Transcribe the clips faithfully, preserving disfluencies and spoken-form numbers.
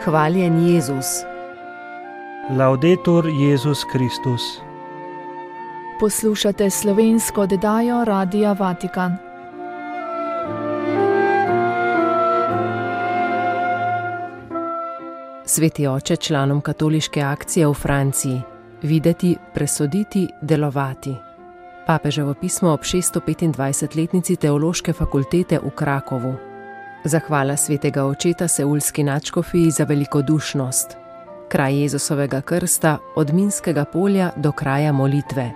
Hvaljen Jezus. Laudetur Jezus Kristus. Poslušate slovensko oddajo Radia Vatikan. Sveti oče članom katoliške akcije v Franciji. Videti, presoditi, delovati. Papeževo pismo ob šeststo petindvajsetletnici Teološke fakultete v Krakovu. Zahvala svetega očeta seulski nadškofiji za velikodušnost. Kraj Jezusovega krsta od minskega polja do kraja molitve.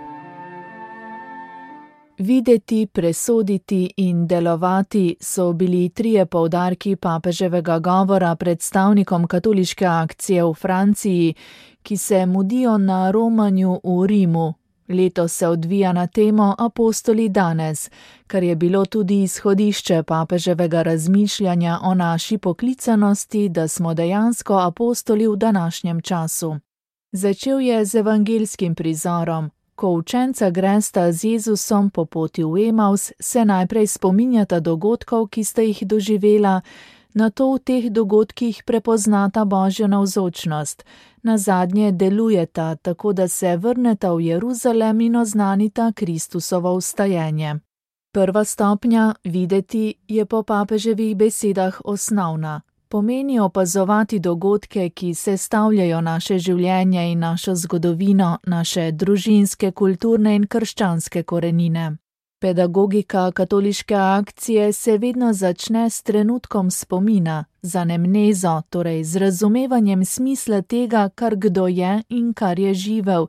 Videti, presoditi in delovati so bili trije poudarki papeževega govora predstavnikom katoliške akcije v Franciji, ki se mudijo na romanju v Rimu. Letos se odvija na temo Apostoli danes, kar je bilo tudi izhodišče papeževega razmišljanja o naši poklicanosti, da smo dejansko apostoli v današnjem času. Začel je z evangelskim prizorom. Ko učenca gresta z Jezusom po poti v Emaus, se najprej spominjata dogodkov, ki sta jih doživela, nato v teh dogodkih prepoznata Božjo navzočnost. Nazadnje delujeta, tako da se vrneta v Jeruzalem in oznanita Kristusovo vstajenje. Prva stopnja, videti, je po papeževih besedah osnovna. Pomeni opazovati dogodke, ki sestavljajo naše življenje in našo zgodovino, naše družinske, kulturne in krščanske korenine. Pedagogika katoliške akcije se vedno začne s trenutkom spomina, z anemnezo, torej z razumevanjem smisla tega, kar kdo je in kar je živel,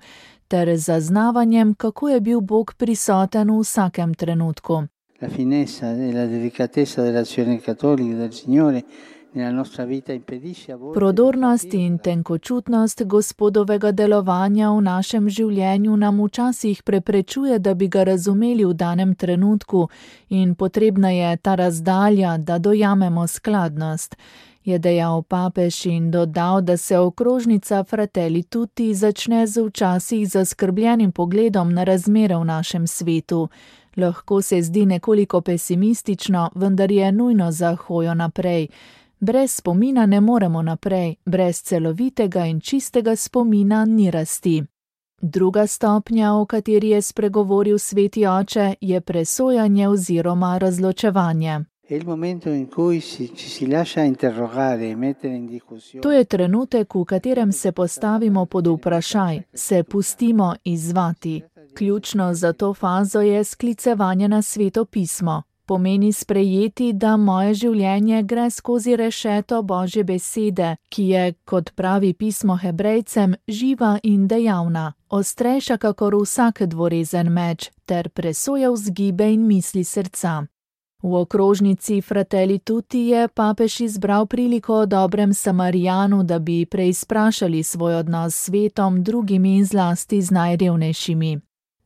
ter zaznavanjem, kako je bil Bog prisoten v vsakem trenutku. La finezza e la delicatezza dell'azione cattolica del Signore. Prodornost in tenkočutnost Gospodovega delovanja v našem življenju nam včasih preprečuje, da bi ga razumeli v danem trenutku, in potrebna je ta razdalja, da dojamemo skladnost, je dejal papež in dodal, da se okrožnica Fratelli Tutti začne z včasih zaskrbljenim pogledom na razmere v našem svetu. Lahko se zdi nekoliko pesimistično, vendar je nujno za hojo naprej. Brez spomina ne moremo naprej, brez celovitega in čistega spomina ni rasti. Druga stopnja, o kateri je spregovoril sveti oče, je presojanje oziroma razločevanje. To je trenutek, v katerem se postavimo pod vprašaj, se pustimo izzvati. Ključno za to fazo je sklicevanje na Sveto pismo. Pomeni sprejeti, da moje življenje gre skozi rešeto Božje besede, ki je, kot pravi pismo Hebrejcem, živa in dejavna, ostrejša kakor vsak dvorezen meč, ter presoja vzgibe in misli srca. V okrožnici Fratelli Tutti je papež izbral priliko o dobrem Samarijanu, da bi preizprašali svoj odnos s svetom, drugimi in zlasti z najrevnejšimi.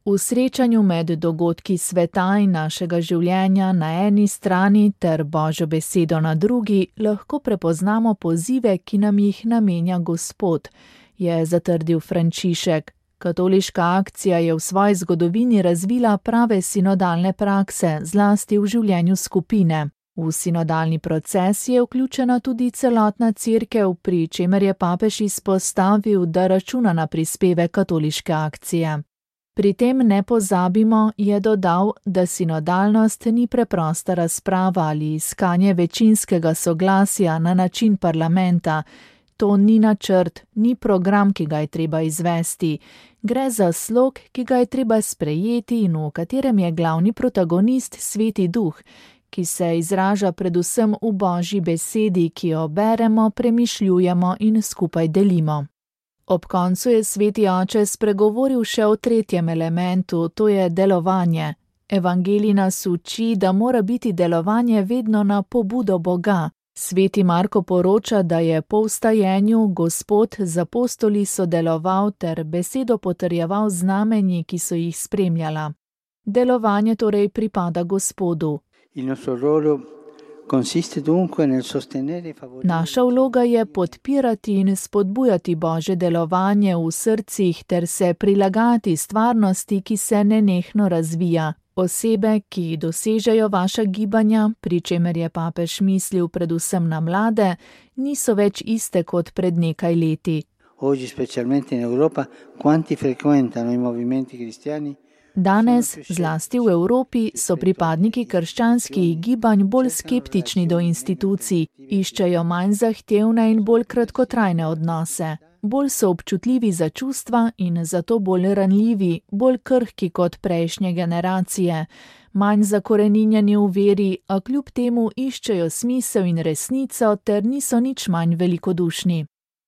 V srečanju med dogodki sveta in našega življenja na eni strani ter Božjo besedo na drugi lahko prepoznamo pozive, ki nam jih namenja Gospod, je zatrdil Frančišek. Katoliška akcija je v svoji zgodovini razvila prave sinodalne prakse, zlasti v življenju skupine. V sinodalni proces je vključena tudi celotna cerkev, pri čemer je papež izpostavil, da računa na prispevek katoliške akcije. Pri tem ne pozabimo, je dodal, da sinodalnost ni preprosta razprava ali iskanje večinskega soglasja na način parlamenta. To ni načrt, ni program, ki ga je treba izvesti. Gre za slog, ki ga je treba sprejeti in v katerem je glavni protagonist Sveti Duh, ki se izraža predvsem v Božji besedi, ki jo beremo, premišljujemo in skupaj delimo. Ob koncu je sveti oče spregovoril še o tretjem elementu, to je delovanje. Evangelij nas uči, da mora biti delovanje vedno na pobudo Boga. Sveti Marko poroča, da je po vstajenju Gospod z apostoli sodeloval ter besedo potrjeval znamenji, ki so jih spremljala. Delovanje torej pripada Gospodu. Il nostro ruolo consiste dunque nel sostenere e favorire. Naša vloga je podpirati in spodbujati Božje delovanje v srcih ter se prilagati stvarnosti, ki se nenehno razvija. Osebe, ki dosežejo vaša gibanja, pri čemer je papež mislil predvsem na mlade, niso več iste kot pred nekaj leti. Oggi, specialmente in Europa, quanti frequentano i movimenti cristiani? Danes, zlasti v Evropi, so pripadniki krščanskih gibanj bolj skeptični do institucij, iščejo manj zahtevne in bolj kratkotrajne odnose. Bolj so občutljivi za čustva in zato bolj ranljivi, bolj krhki kot prejšnje generacije. Manj zakoreninjeni v veri, a kljub temu iščejo smisel in resnico ter niso nič manj velikodušni.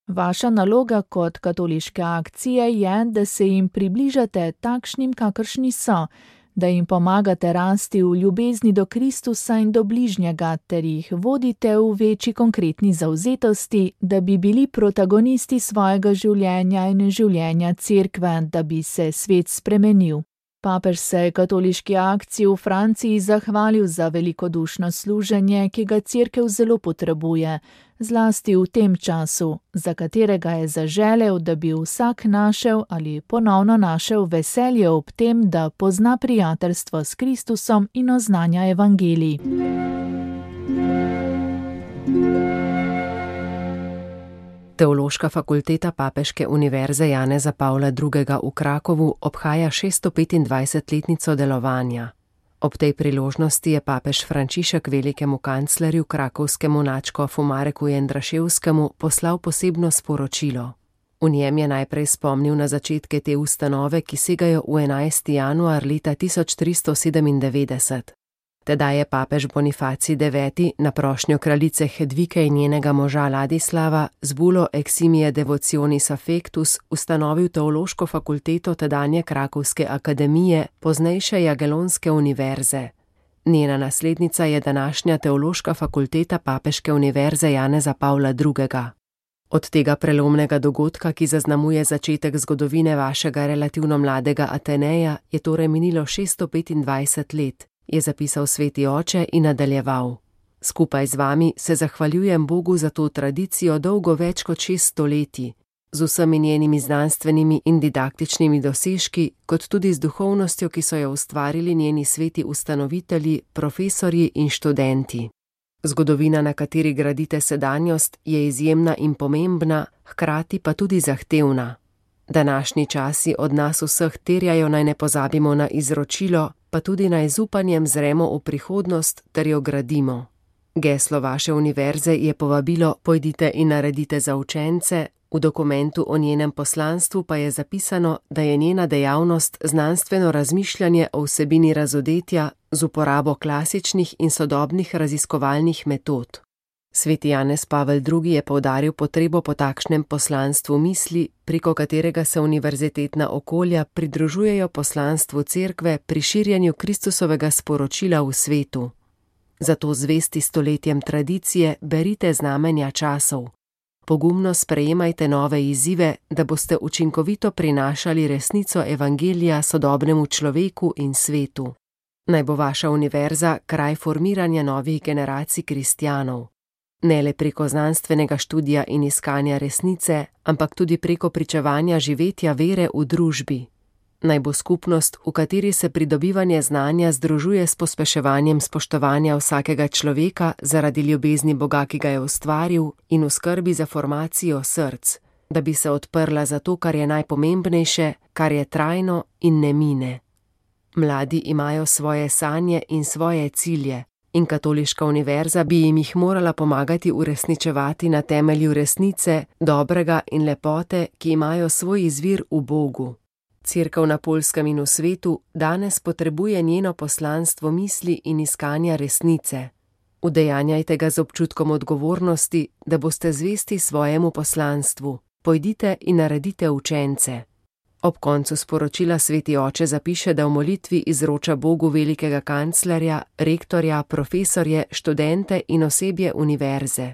Vaša naloga kot katoliške akcije je, da se jim približate takšnim, kakršni so, da jim pomagate rasti v ljubezni do Kristusa in do bližnjega ter jih vodite v večji konkretni zavzetosti, da bi bili protagonisti svojega življenja in življenja Cerkve, da bi se svet spremenil. Papež se je katoliški akciji v Franciji zahvalil za velikodušno služenje, ki ga Cerkev zelo potrebuje, zlasti v tem času, za katerega je zaželel, da bi vsak našel ali ponovno našel veselje ob tem, da pozna prijateljstvo s Kristusom in oznanja evangelij. Teološka fakulteta Papeške univerze Janeza Pavla drugega. v Krakovu obhaja šeststo petindvajsetletnico delovanja. Ob tej priložnosti je papež Frančišek velikemu kanclerju krakovskemu nadškofu Mareku Jendraševskemu poslal posebno sporočilo. V njem je najprej spomnil na začetke te ustanove, ki segajo v enajsti januar leta tisoč tristo sedemindevetdeset. Tedaj je papež Bonifacij deveti na prošnjo kraljice Hedvike in njenega moža Ladislava z bulo Eximie Devotionis Affectus ustanovil teološko fakulteto tedanje Krakovske akademije, poznejše Jagelonske univerze. Njena naslednica je današnja teološka fakulteta Papeške univerze Janeza Pavla drugega. Od tega prelomnega dogodka, ki zaznamuje začetek zgodovine vašega relativno mladega Ateneja, je torej minilo šeststo petindvajset let. Je zapisal sveti oče in nadaljeval. Skupaj z vami se zahvaljujem Bogu za to tradicijo dolgo več kot šest stoletij, z vsemi njenimi znanstvenimi in didaktičnimi dosežki, kot tudi z duhovnostjo, ki so jo ustvarili njeni sveti ustanovitelji, profesorji in študenti. Zgodovina, na kateri gradite sedanjost, je izjemna in pomembna, hkrati pa tudi zahtevna. Današnji časi od nas vseh terjajo, naj ne pozabimo na izročilo, pa tudi naj z upanjem zremo v prihodnost ter jo gradimo. Geslo vaše univerze je povabilo pojdite in naredite za učence, v dokumentu o njenem poslanstvu pa je zapisano, da je njena dejavnost znanstveno razmišljanje o vsebini razodetja z uporabo klasičnih in sodobnih raziskovalnih metod. Sveti Janez Pavel drugi. je poudaril potrebo po takšnem poslanstvu misli, preko katerega se univerzitetna okolja pridružujejo poslanstvu Cerkve pri širjenju Kristusovega sporočila v svetu. Zato zvesti stoletjem tradicije berite znamenja časov. Pogumno sprejemajte nove izzive, da boste učinkovito prinašali resnico evangelija sodobnemu človeku in svetu. Naj bo vaša univerza kraj formiranja novih generacij kristjanov. Ne le preko znanstvenega študija in iskanja resnice, ampak tudi preko pričevanja živetja vere v družbi. Naj bo skupnost, v kateri se pridobivanje znanja združuje s pospeševanjem spoštovanja vsakega človeka zaradi ljubezni Boga, ki ga je ustvaril, in v skrbi za formacijo src, da bi se odprla za to, kar je najpomembnejše, kar je trajno in ne mine. Mladi imajo svoje sanje in svoje cilje, in katoliška univerza bi jim jih morala pomagati uresničevati na temelju resnice, dobrega in lepote, ki imajo svoj izvir v Bogu. Cerkev na Poljskem in v svetu danes potrebuje njeno poslanstvo misli in iskanja resnice. Udejanjajte ga z občutkom odgovornosti, da boste zvesti svojemu poslanstvu. Pojdite in naredite učence. Ob koncu sporočila sveti oče zapiše, da v molitvi izroča Bogu velikega kanclerja, rektorja, profesorje, študente in osebje univerze.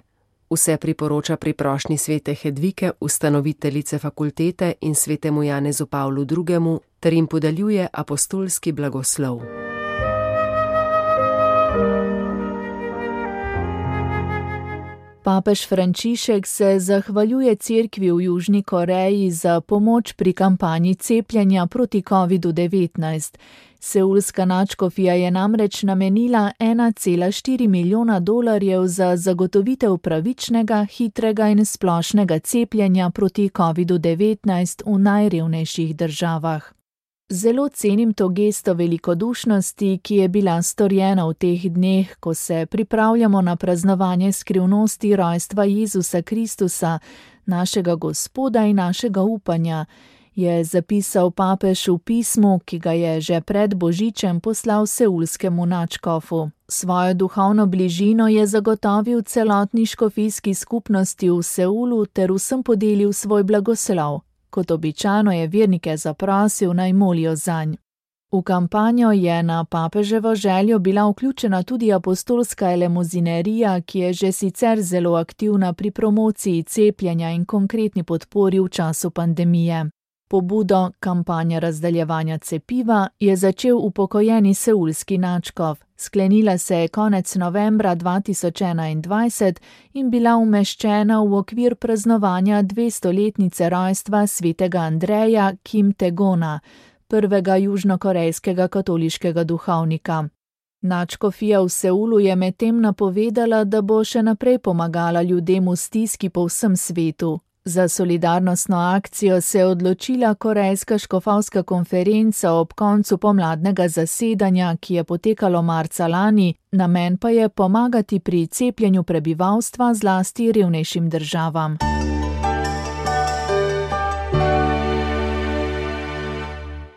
Vse priporoča pri prošnji svete Hedvike, ustanoviteljice fakultete, in svetemu Janezu Pavlu drugemu. ter jim podeljuje apostolski blagoslov. Papež Frančišek se zahvaljuje cerkvi v Južni Koreji za pomoč pri kampanji cepljenja proti kovidu devetnajst. Seulska nadškofija je namreč namenila ena cela štiri milijona dolarjev za zagotovitev pravičnega, hitrega in splošnega cepljenja proti kovidu devetnajst v najrevnejših državah. Zelo cenim to gesto velikodušnosti, ki je bila storjena v teh dneh, ko se pripravljamo na praznovanje skrivnosti rojstva Jezusa Kristusa, našega Gospoda in našega upanja, je zapisal papež v pismu, ki ga je že pred Božičem poslal seulskemu nadškofu. Svojo duhovno bližino je zagotovil celotni škofijski skupnosti v Seulu ter vsem podelil svoj blagoslov. Kot običajno je vernike zaprosil, naj molijo zanj. V kampanjo je na papeževo željo bila vključena tudi apostolska elemuzinerija, ki je že sicer zelo aktivna pri promociji cepljenja in konkretni podpori v času pandemije. Pobudo kampanja razdaljevanja cepiva je začel upokojeni seulski nadškof. Sklenila se je konec novembra dva tisoč enaindvajset in bila umeščena v okvir praznovanja dvestoletnice rojstva svetega Andreja Kim Taegona, prvega južnokorejskega katoliškega duhovnika. Nadškofija v Seulu je medtem napovedala, da bo še naprej pomagala ljudem v stiski po vsem svetu. Za solidarnostno akcijo se je odločila Korejska škofovska konferenca ob koncu pomladnega zasedanja, ki je potekalo marca lani, namen pa je pomagati pri cepljenju prebivalstva zlasti revnejšim državam.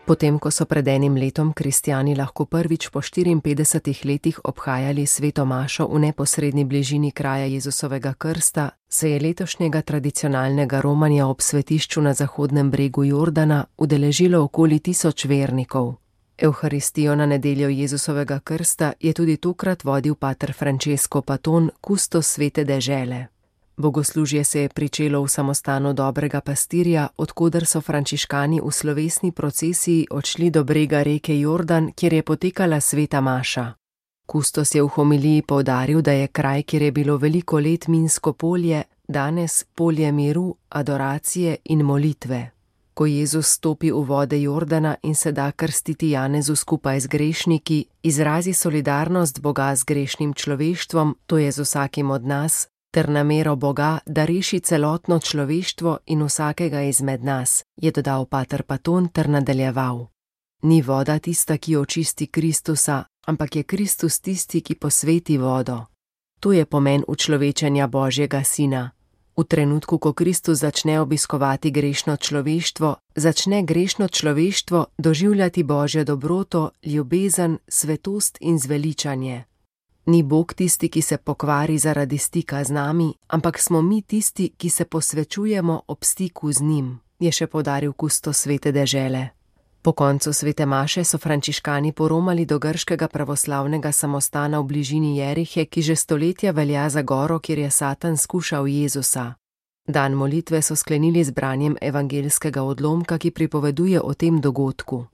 Potem, ko so pred enim letom kristjani lahko prvič po štiriinpetdesetih letih obhajali sveto mašo v neposredni bližini kraja Jezusovega krsta, se je letošnjega tradicionalnega romanja ob svetišču na zahodnem bregu Jordana udeležilo okoli tisoč vernikov. Evharistijo na nedeljo Jezusovega krsta je tudi tokrat vodil pater Francesco Paton, kustos svete dežele. Bogoslužje se je pričelo v samostanu Dobrega pastirja, odkoder so frančiškani v slovesni procesiji odšli do brega reke Jordan, kjer je potekala sveta maša. Kustos je v homiliji poudaril, da je kraj, kjer je bilo veliko let minsko polje, danes polje miru, adoracije in molitve. Ko Jezus stopi v vode Jordana in se da krstiti Janezu skupaj z grešniki, izrazi solidarnost Boga z grešnim človeštvom, to je z vsakim od nas, ter namero Boga, da reši celotno človeštvo in vsakega izmed nas, je dodal pater Paton ter nadaljeval. Ni voda tista, ki očisti Kristusa, ampak je Kristus tisti, ki posveti vodo. To je pomen učlovečenja Božjega Sina. V trenutku, ko Kristus začne obiskovati grešno človeštvo, začne grešno človeštvo doživljati Božjo dobroto, ljubezen, svetost in zveličanje. Ni Bog tisti, ki se pokvari zaradi stika z nami, ampak smo mi tisti, ki se posvečujemo ob stiku z njim, je še poudaril kustos svete dežele. Po koncu svete maše so frančiškani poromali do grškega pravoslavnega samostana v bližini Jerihe, ki že stoletja velja za goro, kjer je Satan skušal Jezusa. Dan molitve so sklenili z branjem evangeljskega odlomka, ki pripoveduje o tem dogodku.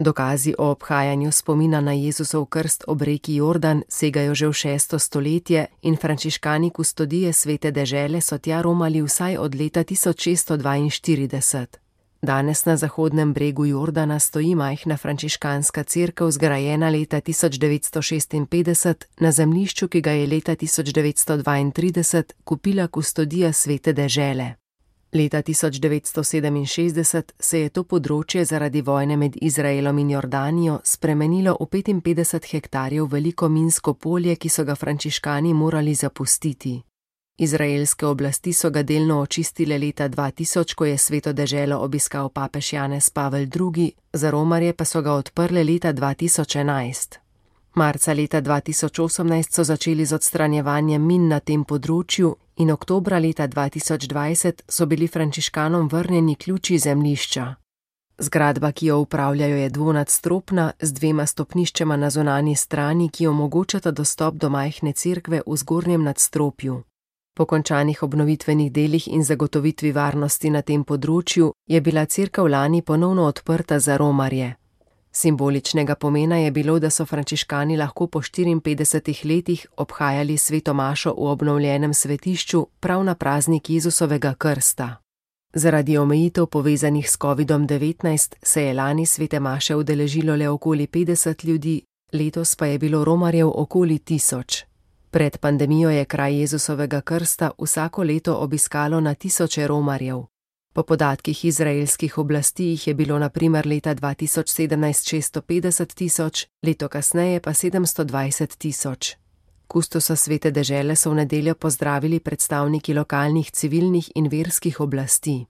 Dokazi o obhajanju spomina na Jezusov krst ob reki Jordan segajo že v šesto stoletje in frančiškani kustodije svete dežele so tja romali vsaj od leta tisoč šeststo dvainštirideset. Danes na zahodnem bregu Jordana stoji majhna frančiškanska cerkev, zgrajena leta tisoč devetsto šestinpetdeset na zemljišču, ki ga je leta tisoč devetsto dvaintrideset kupila kustodija svete dežele. Leta tisoč devetsto sedeminšestdeset se je to področje zaradi vojne med Izraelom in Jordanijo spremenilo v petinpetdeset hektarjev veliko minsko polje, ki so ga frančiškani morali zapustiti. Izraelske oblasti so ga delno očistile leta dva tisoč, ko je sveto deželo obiskal papež Janez Pavel drugi, za romarje pa so ga odprle leta dva tisoč enajst. Marca leta dva tisoč osemnajst so začeli z odstranjevanjem min na tem področju in oktobra leta dva tisoč dvajset so bili frančiškanom vrnjeni ključi zemljišča. Zgradba, ki jo upravljajo, je dvonadstropna z dvema stopniščema na zunanji strani, ki omogočata dostop do majhne cerkve v zgornjem nadstropju. Po končanih obnovitvenih delih in zagotovitvi varnosti na tem področju je bila cerkev lani ponovno odprta za romarje. Simboličnega pomena je bilo, da so frančiškani lahko po štiriinpetdesetih letih obhajali sveto mašo v obnovljenem svetišču prav na praznik Jezusovega krsta. Zaradi omejitev povezanih s kovidom devetnajst se je lani svete maše udeležilo le okoli petdeset ljudi, letos pa je bilo romarjev okoli tisoč. Pred pandemijo je kraj Jezusovega krsta vsako leto obiskalo na tisoče romarjev. Po podatkih izraelskih oblasti jih je bilo na primer leta dva tisoč sedemnajst šeststo petdeset tisoč, leto kasneje pa sedemsto dvajset tisoč. Kustosa svete dežele so v nedeljo pozdravili predstavniki lokalnih civilnih in verskih oblasti.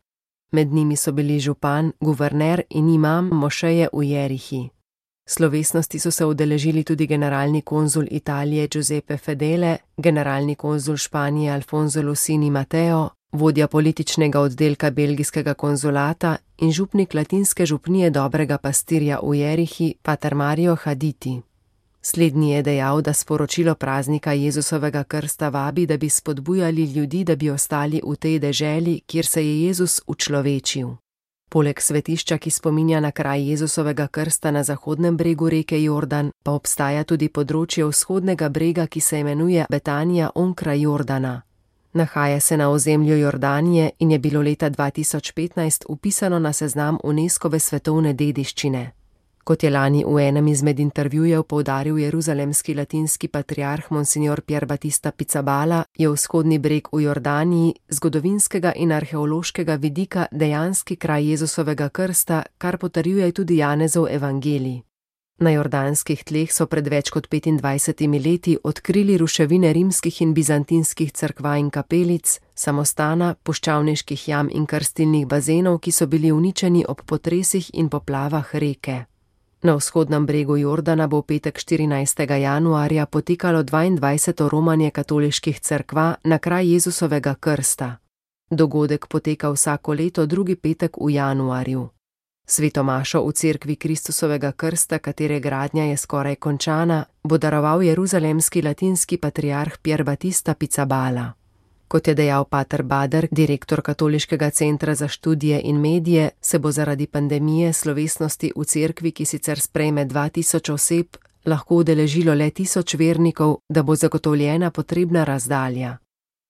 Med njimi so bili župan, guverner in imam mošeje v Jerihi. Slovesnosti so se udeležili tudi generalni konzul Italije Giuseppe Fedele, generalni konzul Španije Alfonso Lucini Mateo, vodja političnega oddelka belgijskega konzulata in župnik latinske župnije Dobrega pastirja v Jerihi, pater Mario Haditi. Slednji je dejal, da sporočilo praznika Jezusovega krsta vabi, da bi spodbujali ljudi, da bi ostali v tej deželi, kjer se je Jezus učlovečil. Poleg svetišča, ki spominja na kraj Jezusovega krsta na zahodnem bregu reke Jordan, pa obstaja tudi področje vzhodnega brega, ki se imenuje Betanija onkraj Jordana. Nahaja se na ozemlju Jordanije in je bilo leta dva tisoč petnajst vpisano na seznam UNESCOve svetovne dediščine. Kot je lani v enem izmed intervjujev poudaril jeruzalemski latinski patriarh Monsignor Pier Battista Pizzaballa, je vzhodni breg v Jordaniji zgodovinskega in arheološkega vidika dejanski kraj Jezusovega krsta, kar potrjuje tudi Janezov evangelij. Na jordanskih tleh so pred več kot petindvajsetimi leti odkrili ruševine rimskih in bizantinskih cerkva in kapelic, samostana, puščavniških jam in krstilnih bazenov, ki so bili uničeni ob potresih in poplavah reke. Na vzhodnem bregu Jordana bo v petek štirinajstega januarja potekalo dvaindvajseto romanje katoliških cerkva na kraj Jezusovega krsta. Dogodek poteka vsako leto drugi petek v januarju. Sveto mašo v cerkvi Kristusovega krsta, katere gradnja je skoraj končana, bo daroval jeruzalemski latinski patriarh Pier Battista Pizzaballa. Kot je dejal pater Bader, direktor Katoliškega centra za študije in medije, se bo zaradi pandemije slovesnosti v cerkvi, ki sicer sprejme dva tisoč oseb, lahko udeležilo le tisoč vernikov, da bo zagotovljena potrebna razdalja.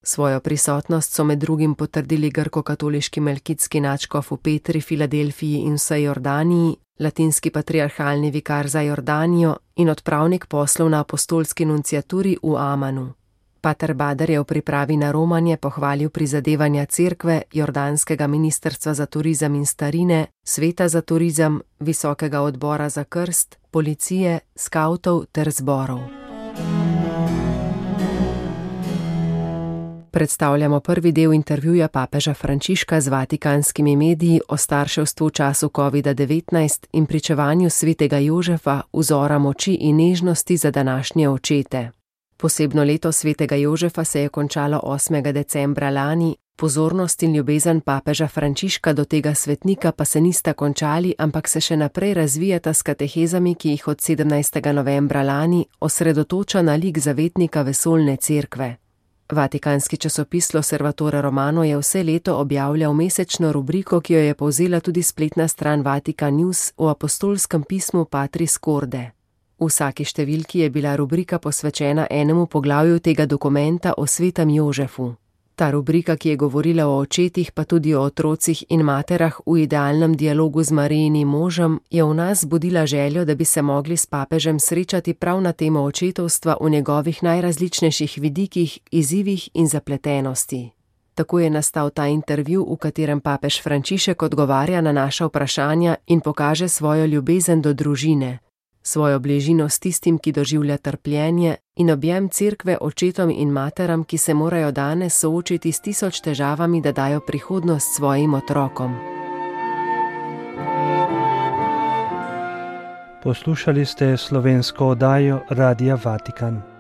Svojo prisotnost so med drugim potrdili grko-katoliški melkitski nadškof v Petri, Filadelfiji in vsej Jordaniji, latinski patriarhalni vikar za Jordanijo in odpravnik poslov na apostolski nunciaturi v Amanu. Pater Bader je v pripravi na romanje pohvalil prizadevanja cerkve, jordanskega ministrstva za turizem in starine, sveta za turizem, visokega odbora za krst, policije, skavtov ter zborov. Predstavljamo prvi del intervjuja papeža Frančiška z vatikanskimi mediji o starševstvu v času covida devetnajst in pričevanju svetega Jožefa, vzora moči in nežnosti za današnje očete. Posebno leto svetega Jožefa se je končalo osmega decembra lani, pozornost in ljubezen papeža Frančiška do tega svetnika pa se nista končali, ampak se še naprej razvijata s katehezami, ki jih od sedemnajstega novembra lani osredotoča na lik zavetnika vesoljne cerkve. Vatikanski časopis L'Osservatore Romano je vse leto objavljal mesečno rubriko, ki jo je povzela tudi spletna stran Vatikan News v apostolskem pismu Patris Corde. V vsaki številki je bila rubrika posvečena enemu poglavju tega dokumenta o svetem Jožefu. Ta rubrika, ki je govorila o očetih, pa tudi o otrocih in materah v idealnem dialogu z Marijinim možem, je v nas budila željo, da bi se mogli s papežem srečati prav na temo očetovstva v njegovih najrazličnejših vidikih, izzivih in zapletenosti. Tako je nastal ta intervju, v katerem papež Frančišek odgovarja na naša vprašanja in pokaže svojo ljubezen do družine, svojo bližino s tistim, ki doživlja trpljenje, in objem cerkve očetom in materam, ki se morajo danes soočiti s tisoč težavami, da dajo prihodnost svojim otrokom. Poslušali ste slovensko oddajo Radia Vatikan.